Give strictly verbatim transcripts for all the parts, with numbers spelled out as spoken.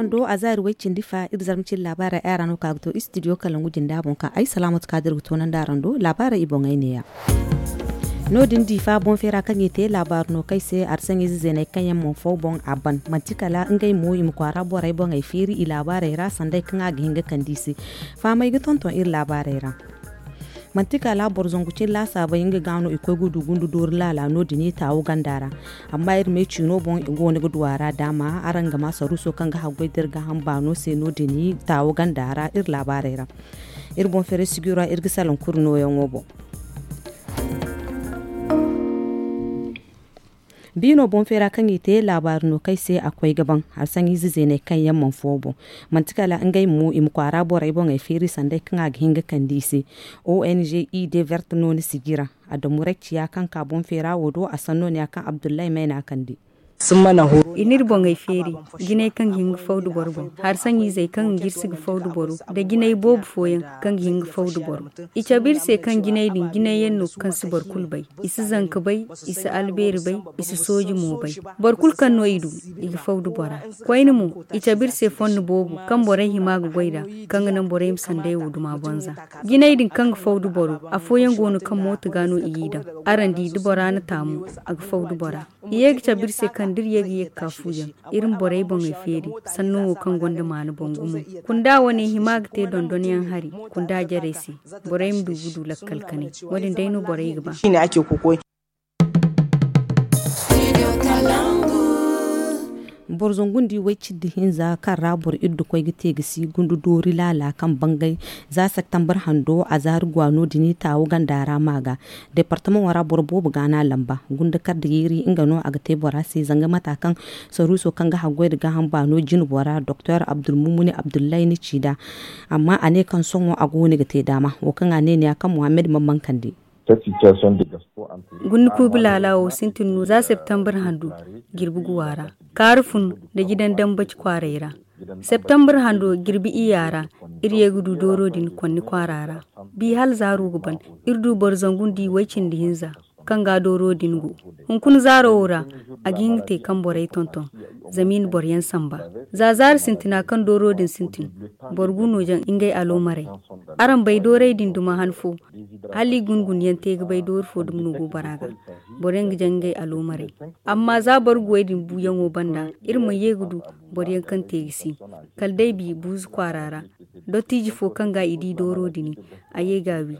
Do a zaari way cindi fa iri zarma cindi laabaarey ay ra no ka ga to istidiyo kalangu jinda boŋ kaŋ ay salaamatu kaadir ga toonandi araŋ do laabaarey i boŋey neeya. No- din diifa boŋ feera kaŋ i te laabaari no kaŋ ay se arsaŋize zeeney kaŋ yaŋ mana faw boŋ a ban manti kala ngey mo i ma kwaara borey boŋey feeri i laabaarey ra sanday kaŋ a ga hin ga kande i se. Fahamey ga tonton iri laabaarey ra. Manti kala boro zangu cine laasaabey nga ga no i koy ga du gundu doori laala no- din i taawo ganda ra. Amma iri me ciino boŋ i go no ga du a ra daama araŋ ga ma saruuso kaŋ ga haggoy da iri ga hamba no se no- din i taawo ganda ra iri laabaarey ra. Iri boŋ feeray sijiro ra iri ga salaŋ kuri nooyaŋo boŋ. Biino boŋ feera kaŋ i te laabaari no kaŋ ay se a koy ga baŋ harsaŋize zeeney kaŋ yaŋ mana fo boŋ. Manti kala ngey mo i ma kwaara borey boŋey feeri sanday kaŋ a ga hin ga kande i se. O N G i de vert no ni sijira. Adamu ray ciya kaŋ ka boŋ feera wo do a sanno ne ya kaŋ abdullahi mayna kande. I n'iri boŋey feeri jinay kaŋ ga hin ga faw da boro boŋ, harsaŋizey kaŋ ga jirsi ga faw da boro, da jinay boobo fooyaŋ kaŋ ga hin ga faw da boro. I cabe iri se kaŋ jinay din jinay yaŋ no kaŋ si boro kulu bay. I si zanka bay, i si albeeri bay, i si sooji mo bay. Boro kulu kaŋ no i du, i ga faw da bora. Koyne mo, i cabe iri se fondo boobo kaŋ borey hima ga goy nd'a, kaŋ ga naŋ borey ma sanday wo duma banza. Jinay din kaŋ ga faw da boro, afooyaŋ go no kaŋ mooto ga no i g'i daŋ. Araŋ di da bora na taamu, a ga faw da bora. I ye ga cabe iri se kaŋ da iri ye ga ye ga ka fuyaŋ, iri ma borey boŋey feeri. Sanno wo kaŋ gonda maana boŋ gumo, kunda wane hima ga te dondonyaŋ hari kunda jarey se. Borey ma du ga du lakkal kanay. Wo- din day no borey ga ba. Boro zangu nda i way cindi hinza kaŋ ra boro iri da koy ga te ga si gundu doori laala kaŋ bangay. Za septembre hando a zaari gwa no- din i taawo ganda ra ma ga. Departamaŋo ra boro boobo ga no a lamba gunda kar da yeeri nga no a ga te bora se zanga mata kaŋ saruuso kaŋ ga haggoy nda gaaham baano jine bora doktor abdulmumuni abdullahi ni ci nd'a. Amma a ne kaŋ sohõ a go no ga te daama wo kaŋ a ne ni ya kaŋ muhammad mana mana kande. Gunda kuubi laala wo sintin no za septembre handu jirbi guwa ra. Kaaru fun nda jidan dambaci kwaaray ra. Septembre hando jirbi iyya ra iri ye ga du dooro din konni kwaara ra. Bi hala zaaro ga ban, iri du boro zangu nda i way cindi hinza kaŋ ga dooro din go. Hunkuna zaaro wo ra, a ga hin ga te kaŋ borey tonton zama i na boro yaŋ samba. Za zaari sintina kaŋ dooro din sintin, boro gu no jaŋ ngey aloomarey. Araŋ bay doorey din duma han fo, hala i gun gun yaŋ te ga bay doori fo dumi no go bora ga. Boro yaŋ ga jaŋ ngey aloomarey. Amma za boro guwey din buuyaŋo banda, iri mana ye ga du boro yaŋ kaŋ te ga si. Kala day bi buuzu kwaara ra, dottiiji fo kaŋ ga i di dooro din, a ye ga a wi.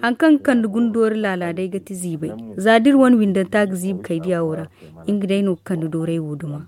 Hari kaŋ ga kande guna doori laala day ga ti ziibay. Za da iri wane windanta ga ziibi kaydiya wo ra, nga day no ga kande doorey wo duma.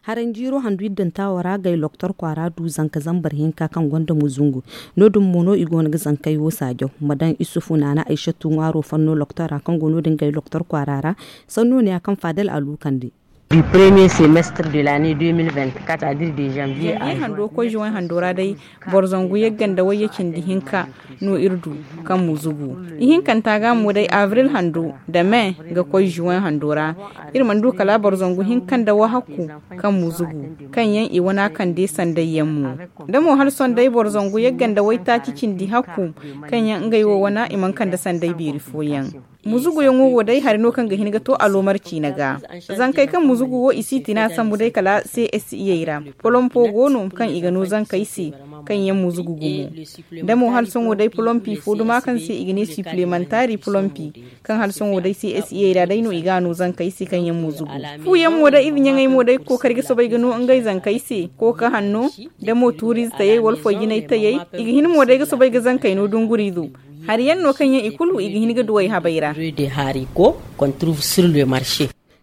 Haranjiiro handu iddanta wo ra gay loktor kwaara du zanka zambar hinka kaŋ gonda muzungu. No- din mo no i go no ga zankey wo saajaw ma daŋ isufu naana aysatu ŋwaaro fanno loktor ra kaŋ go no- din gay loktor kwaara ra. Sanno ne ya kaŋ fadal a lukandi. Du premier semestre de l'année deux mille vingt-quatre a diri de janvier a hando koy juin hando ra day. Boro zangu yagga nda wayye cindi hinka no iri du kaŋ muzugu. Ihinkanta ga mo day avril hando nda mai ga koy juin hando ra. Iri mana du kala boro zangu hinka nda wahakku kaŋ muzugu, kaŋ yaŋ i wana kande sanday yaŋ mo. Da mo hala sohõ day boro zangu yagga nda waytaaci cindi hakku, kaŋ yaŋ ngey wo wana i mana kande sanday beeri fooyaŋ. Muzuguyaŋo wo day hari no kaŋ ga hin ga to aloomar ciina ga. Zankey kaŋ muzugu wo i si tina sambu day kala c s i ra. Polompo go no kaŋ i ga no zankey se, kaŋ yaŋ muzugu gumo. Da mo hala sohõ day polompi fo duma kaŋ se i ga ne suplementari polompi, kaŋ hala sohõ day c s i ra day no i ga no zankey se kaŋ yaŋ muzugu. Fuyaŋ mo day ize ɲaŋey mo day ga kookari ga soobay ga no ngey zankey se kooka hanno, da mo tuuriize tayey wala foy jinay tayey. I ga hin mo day ga soobay ga zankey no dunguriizo. Hari yaŋ no kaŋ yaŋ i kulu i ga hin ga duwey habey ra.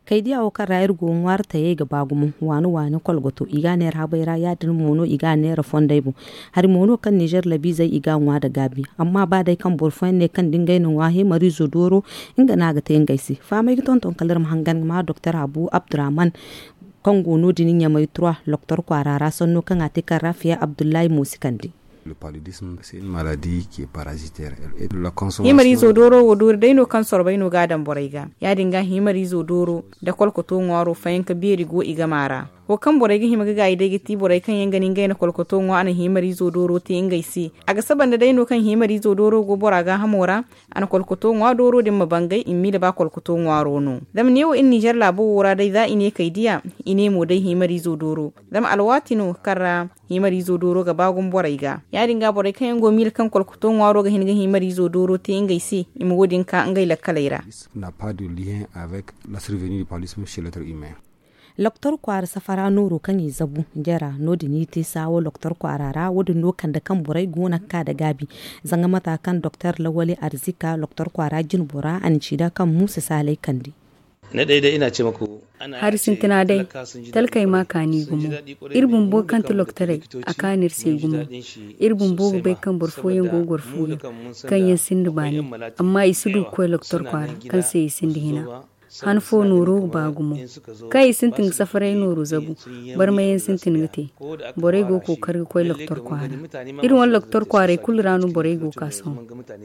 Kaydiya wo kaŋ ra iri go ŋwaari tayey ga ba gumo waani waani kolgoto i ga a neera habey ra ya- din mo no i ga a neera fondey boŋ. Hari mo no kaŋ nizer labiizey i ga a ŋwa nda gaabi. Amma ba day kaŋ boro fooyaŋ ne kaŋ da ngey na ŋwa heemariizo dooro, nga no a ga te ngey se. Fahamey ga tonton kala iri ma hangan ga ma doktor habu abdurrahman, kaŋ go no- din ɲamay trois loktor kwaara ra sanno kaŋ a te kaŋ ra fiya abdullahi mo si kande. Himariizo dooro wo doori day no kaŋ sorbay no ga a daŋ borey ga. Ya- din ga himariizo dooro nda kolkoto ŋwaaro fayanka beeri go i gama ra. Wo kaŋ borey ga hima ga gaayi day ga ti borey kaŋ yaŋ ga ni ngey na kolkoto ŋwa a na himariizo dooro te ngey se. A ga saba nda day no kaŋ himariizo dooro go bora gaahamo ra. A na kolkoto ŋwa dooro din ma bangay i ma miila ba kolkoto ŋwaaro no. Zama neewo iri ninzeer laabo wo ra day za i ne kay diya, i ne mo day himariizo dooro. Zama alwaati no kaŋ ra himariizo dooro ga ba gumo borey ga. Ya-din ga borey kaŋ yaŋ go miila kaŋ kolkoto ŋwaaro ga hin ga himariizo dooro te ngey se, i ma wo- din ka ngey lakkaley ra. N'a pas de lien avec la survenue du paludisme chez l'être humain. Loktor kwaara safara nooro kaŋ i zabu jara no- din i te saawo loktor kwaara ra wo- din no kande kaŋ borey go no ga ka nda gaabi. Zanga mata kaŋ doktor lawali arzika loktor kwaara jinbora a na ci da kaŋ muusa saalay kande. Hari sintina day, talkey ma kaani gumo. Iri bumbo kaŋ ti loktorey, a kaani iri se gumo. Iri bumbo ga bay kaŋ boro fooyaŋ go ga goro fuuyaŋ kaŋ yaŋ sinda baani, amma i si du ga koy loktor kwaara kaŋ se i sinda hina. Han fo nooro ga ba gumo. Kaŋ i sintin ga safaray nooro zabu, barmayaŋ sintin ga te. Borey go ga kookari ga koy loktor kwaara. Iri wane loktor kwaaray kulu ra no borey go ga ka sohõ.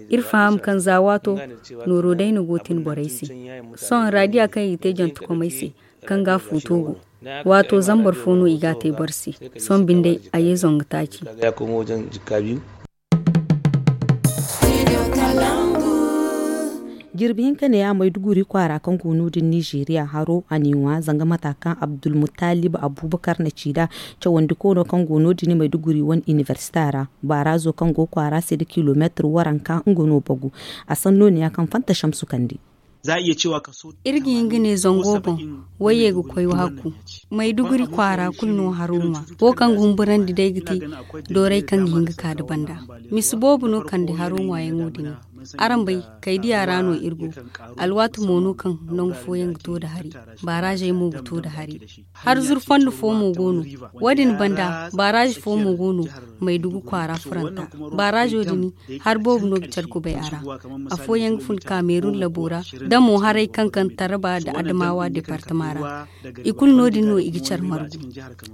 Iri faham kaŋ za waato nooro day no go ga tin borey se. Sohõ raadiya kaŋ i ga te jantekomey se, kaŋ ga fuuto go. Waato zambar fo no i ga a te boro se. Sohõ binde a ye zangu taaci. Jirbi hinka neeya mayduguri kwaara kaŋ go no- din nizeeriya haro a n'i ŋwa zanga mata kaŋ abdulmuttalib abubakar na ci nd'a. Cawandi koono kaŋ go no- din mayduguri wane inibersita ra, baaraazo kaŋ go kwaara se nda kilomeetir waranka nga no bagu. A sanno neeya kaŋ fanta shamsu kande. Iri ga hin ga ne zango boŋ, wayye ga koy wahakku. Mayduguri kwaara kulu no haro ŋwa. Wo kaŋ ga humburandi day ga ti doorey kaŋ ga hin ga ka nda banda. Misi boobo no kande haro ŋwaayaŋo din. Araŋ bay, kaydiya ra no iri go. Alwaati mo no kaŋ nangu fooyaŋ ga to nda hari. Baaraazey mo ga to nda hari. Har zuru fondo fo mo go no. Wo- din banda baaraaze fo mo go no. Maydugu kwaara furanta. Baaraazo din, har boobo no ga care kubay a ra. Afooyaŋ ga fun kaamerun labo ra, da mo haray kaŋ kaŋ taraba nda adamawa departama ra. I kulu no- din no i ga care margu.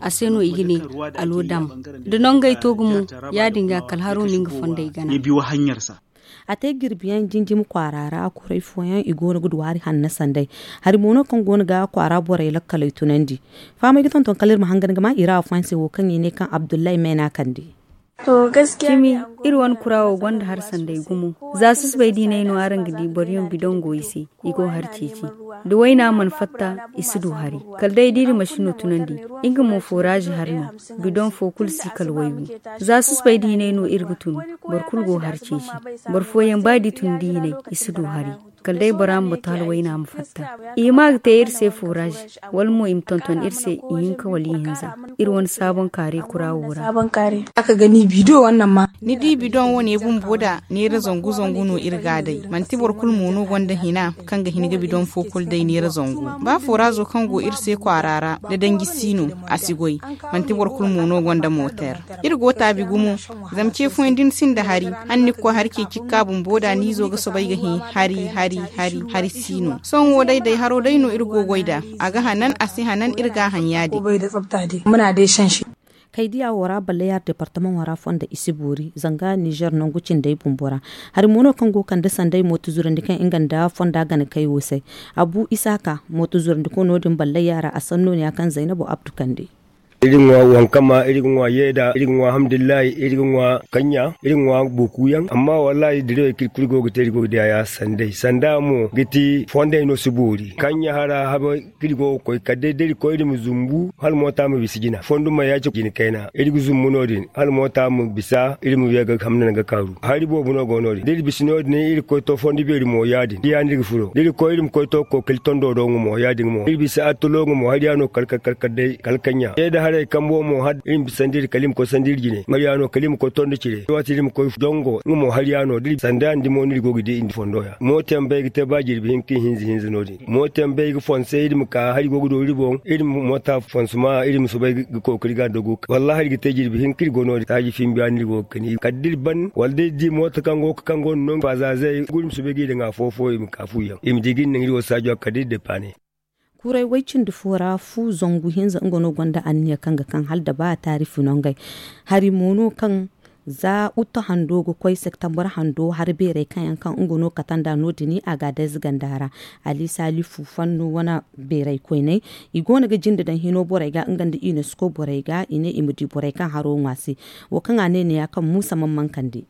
A se no i ga ne alo dam. Da nongey to gumo, ya- din ga kala haro no nga fondey gana. A te jirbiyaŋ jinjimi kwaara ra kuray fooyaŋ i go no ga du hari hanna sanday. Hari mo no kaŋ go no ga kwaara borey lakkaley tunandi. Fahamey ga tonton kala iri ma hangan ga ma i ra afooyaŋ se wo kaŋ i ne kaŋ abdullahi meena kande. Cimi, iri wane kura wo gonda hari sanday gumo. Za susubay diinay no araŋ ga di boro yaŋ bidoŋ go i se, i go hari ceeci. Da wayna mana fatta, i si du hari. Kala day da iri masino tunandi, nga mo foraazi hari no. Bidoŋ fo kulu si kala waygu. Za susubay diinay no iri ga tun. Boro kulu go hari ceeci. Boro fooyaŋ ba da i tun diinay, i si du hari. Kala day bora ma batu hala wayna ma fatta. I hima ga te iri se foraazi, wala mo i ma tonton iri se ihinka wala ihinza. Iri wane saaboŋ kaari kura wo ra. Ni di bidoŋ wane bumbo da neera zangu zangu no iri ga a day. Manti boro kulu mo no gonda hina kaŋ ga hin ga bidoŋ fo kulu day neera zangu. Ba foraazo kaŋ go iri se kwaara ra, da danji si no, a si goy. Manti boro kulu mo no gonda mooter. Iri go taabi gumo. Zama ce fooyaŋ da ni sinda hari, hala ni ga koy hari ceeci ga ka bumbo da ni izo ga soobay ga hin hari hari hari hari si no. Sohõ wo day day haro day no iri go goy nd'a. A ga hanan, a si hanan, iri ga a haŋ ya-din. Kaydiya wo ra balley yaara departamaŋo ra fonda i si boori zanga nizer nangu cindey bumbo ra. Hari mo no kaŋ go kande sanday mooto zurandi kaŋ nga nda fonda gana kay wo se. Abu isaaka mooto zurandi koy no- din balley yaara a sanno ne ya kaŋ zaynabo abdu kande. Iri ga ŋwa wankama, iri ga ŋwa yeeda, iri ga ŋwa hamdullahi, iri ga ŋwa kanya, iri ga ŋwa bokuyaŋ. Amma wallahi dirawey kaŋ iri kulu go ga te iri go ga diya ya sanday sanda mo ga ti fonday no si boori kanya hara haba kaŋ iri go ga koy kala day da iri koy iri ma zumbu hala moota ma bisa jina fondo ma ya-cine kayna iri ga zumbu no- din hala moota ma bisa iri ma ye ga hamna ga kaaru. Hari boobo no go no- din da iri bisa no- din iri ga koy to fondo beeri mo ya-din diya no iri ga furo da iri koy iri ma koy to kookali tondo do nga mo ya-din mo iri bisa attalo nga mo hari ya no kala kala kala kala day kala kanya ye da haray kambo mo hala iri ma bisa nda iri kala iri ma koy sanda iri jine nga ya no kala iri ma koy tondo cire waati iri ma koy dongo nga mo hari ya no da iri sanda nda mo no iri go ga di iri fondo ya mooto yaŋ bay ga te ba jirbi hinka ihinza hinza no- din. Mooto yaŋ bay ga fonse iri ma ka hari go ga do iri boŋ iri ma moota fonse ma iri ma soobay ga kookari ga nda go wallahi iri ga te jirbi hinka iri go no- din taaji fimbiya no iri go ga kani kala da iri ban wala da iri di mooto kaŋ go ga kaŋ go no no fazaazey iri ma soobay ga iri daŋ afo fo iri ma ka fuyaŋ iri ma di ga iri naŋ iri wo saajo kala da iri depaane. Kuray way cindi fo ra fu zangu hinza nga no gonda anniya kaŋ ga kaŋ hala da ba taari funangey hari mo no kaŋ Za utto hando ga koy septembre hando hari beerey kaŋ yaŋ kaŋ nga no kate nd'a no- din a ga a day zaganda ra. Ali salifu fannu wane beerey koyney, i go no ga jinde daŋ hino borey ga nga nda unesco borey ga i ne i ma di borey kaŋ haro ŋwa se. Wo kaŋ a ne ne ya kaŋ muusa man mankande.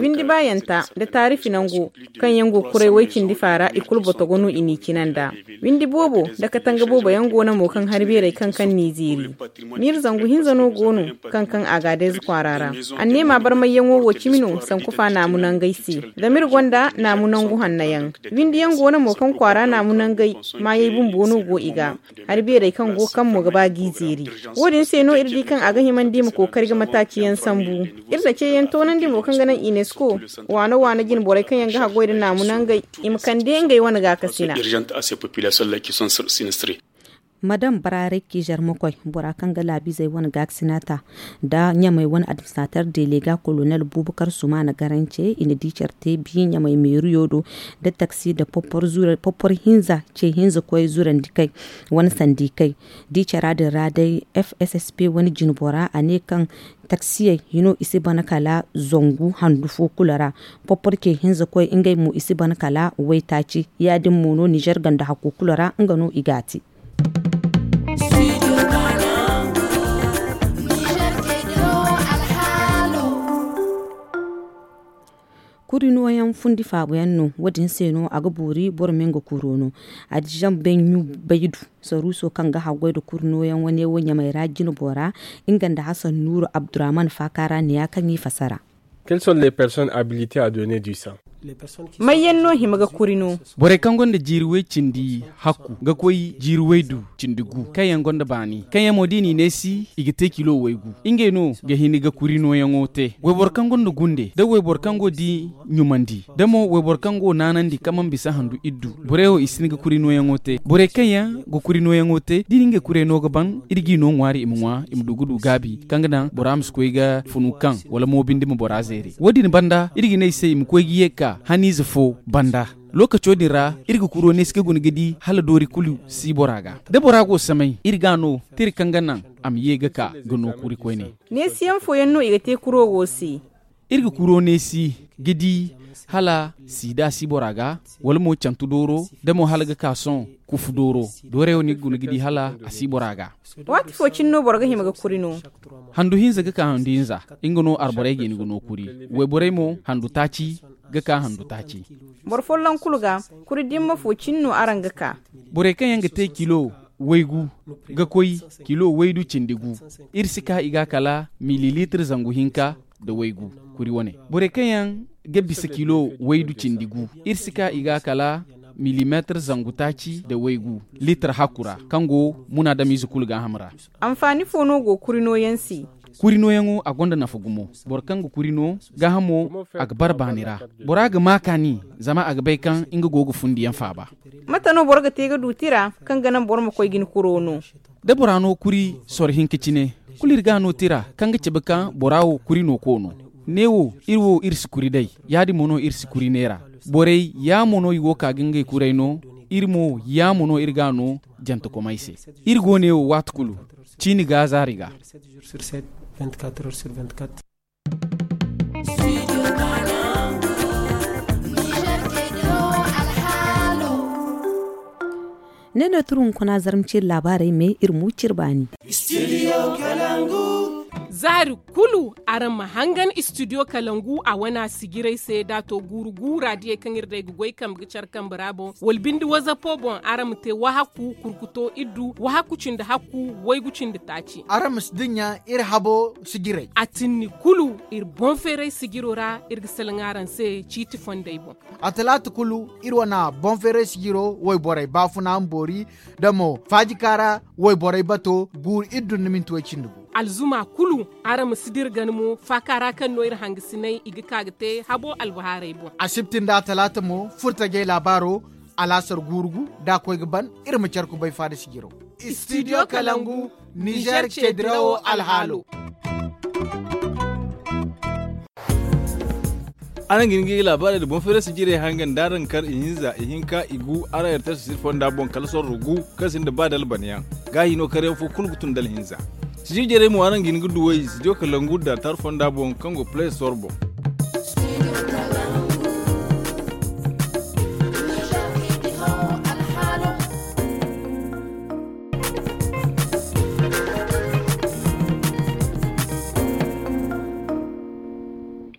Windi baayanta nda taarifi nango kaŋ yaŋ go kuray way-cindi faara i kulu botogo no i n'i cina nd'a. Windi boobo nda katanga boobo yaŋ go no mo kaŋ hari beerey kaŋ kaŋ n'i zeeri. Miiri zangu hinza no go no kaŋ kaŋ a ga a day za kwaara ra. Anneema barmayyaŋo wo cimi no sanku fa naamu nangey se. Zama iri gonda naamu nangu hanna yaŋ. Windi yaŋ go no mo kaŋ kwaara naamu nangey maayey bumbo no go i ga. Hari beerey kaŋ go kaŋ mo ga ba g'i zeeri. Wo- din se no iri di kaŋ a ga himandi i ma kookari ga mataaci yaŋ sambu. Iri na ceeyaŋ toonandi mo kaŋ ga naŋ unesco waano waano jine borey kaŋ yaŋ ga haggoy nda naamu nangey i ma kande ngey wane gaakasina. Madam baraaray kiizer ma koy bora kaŋ ga laabizey wane gaakasina ta nda ɲamey wane administrater delega kolonel bubakar sumana garance i na di care te bi ɲamey meeriyo do nda taksi nda poppor hinza ce hinza koy zurandi kay wane sandi kay. Di cara din ra day fssp wane jinbora a ne kaŋ taksiyey hino i si ban kala zangu handu fo kulu ra. Poppor ce hinza koy ngey mo i si ban kala waytaaci. Ya- din mo no nizer ganda hakku kulu ra nga no i ga a te. Kuri nooyaŋ fundi faabuyaŋ no. Wo- din se no a ga boori boro ma nga kuro no. A di zambe ɲu baydu saruuso kaŋ ga haggoy nda kuri nooyaŋ wane wo ɲamey ra jinbo ra. Nga nda hasan nuuru abdurrahman faaka ra ne ya kaŋ i fasara. Kelles sont les personnes habilitées à donner du sang? Mayyaŋ no hima ga kuri no? Borey kaŋ gonda jiiri way cindi hakku ga koy jiiri waydu cindi gu kaŋ yaŋ gonda baani kaŋ yaŋ mo da i n'i neesi i ga te kilo waygu. Ngey no ga hin ga kuri nooyaŋo te. Wayboro kaŋ gonda gunde da wayboro kaŋ go di ɲumandi da mo wayboro kaŋ go naanandi kaŋ mana bisa handu iddu. Borey wo i si hin ga kuri nooyaŋo te. Borey kaŋ yaŋ ga kuri nooyaŋo te da i na ngey kurey no ga ban iri g'i no ŋwaari i ma ŋwa i ma du ga du gaabi kaŋ ga daŋ bora ma si koy ga funu kaŋ wala mo binde ma bora zeeri. Wo- din banda iri ga ne i se i ma koy ga ye ga ka haniize fo banda. Lookaco din ra iri ga kuro neesi ga guna ga di hala doori kulu si bora ga. Da bora go samay iri ga a no tira kaŋ ga naŋ a ma ye ga ka ga no kuri koyne. Neesiyaŋ fooyaŋ no i ga te kuro wo se. Iri ga kuro neesi ga di hala siida si bora ga wala mo cantu dooro da mo hala ga ka sohõ kufu dooro. Doorey wo no i ga guna ga di hala a si bora ga. Waati fo cine no boro ga hima ga kuri no? Handu hinza ga ka handu hinza nga no arborey ga hin ga no kuri. Wayborey mo handu taaci ga ka handu taaci. Boro folloŋ kulu ga kuri dimma fo cine no araŋ ga ka. Borey kaŋ yaŋ ga te kilo waygu ga koy kilo waydu cindi gu. Iri si ka i ga kala mililitre zangu hinka nda waygu. Kuri wane borey kaŋ yaŋ ga bisa kilo waydu cindi gu iri si ka i ga kala milimetre zangu taaci nda waygu litre hakku ra kaŋ go munaadamiize kulu gaaham ra. Anfaani fo no go kuri nooyaŋ se? Kuri nooyaŋo a gonda nafa gumo. Boro kaŋ ga kuri no gaahamo a ga bara baani ra. Bora ga ma kaani zama a ga bay kaŋ nga go ga fundiyaŋ faaba. Mate no boro ga te ga du tira kaŋ ga naŋ boro ma koy ga ni kuro no? Da bora no kuri soro hinka cine kulu iri ga a no tira kaŋ ga cabe kaŋ bora wo kuri no koono. Neewo iri wo iri si kuri day. Ya- din mo no iri si kuri neera. Borey yaamo no i go ka ga ngey kurey no. Iri mo yaamo no iri ga a no jantekomey se. Iri go neewo waati kulu ciini ga zaari ga. Ne no turu hunkuna zarma ciri laabaarey me iri mu ciri baani. Zaari kulu araŋ ma hangan istidiyo kalangu a wana sijirey se da a to guuru gu raadiyey kaŋ iri day ga goy kambe ga care kambe ra boŋ wala binde wazapo boŋ araŋ ma te wahakku kurkuto iddu wahakku cindi hakku waygu cindi taaci. Araŋ ma si dinya iri habo sijirey a tinni kulu iri boŋ feeray sijiro ra. Iri ga salaŋ araŋ se ciiti fondey boŋ. A talaata kulu iri wana boŋ feeray sijiro wayborey baafuna ma boori da mo faajika ra wayborey bato guuru iddu nda minti way cindi gu. Alzuma kulu araŋ ma si dira gana mo faaka ra kaŋ no iri hangasiney i ga ka ga te habo albahaarey boŋ. Asibti nda talaata mo furtajey laabaaro alaasar guuru gu da a koy ga ban iri ma care kubay faada sijiro. Istidiyo kalangu nizer ceedirawo alhaalo. Araŋ ga hin ga laabaarey nda boŋ feerasi jirey hangan da araŋ kar ihinza ihinka igu araŋ yartasi siri fonda boŋ kala sorro gu kaŋ sinda ba dalbanayaŋ. Gaahi no karyaŋ fo kulu ga tun dalhinza. Sijir jarey mo araŋ ga hin ga duw'ey sijir ka langu nda tara fonda boŋ kaŋ go play store boŋ.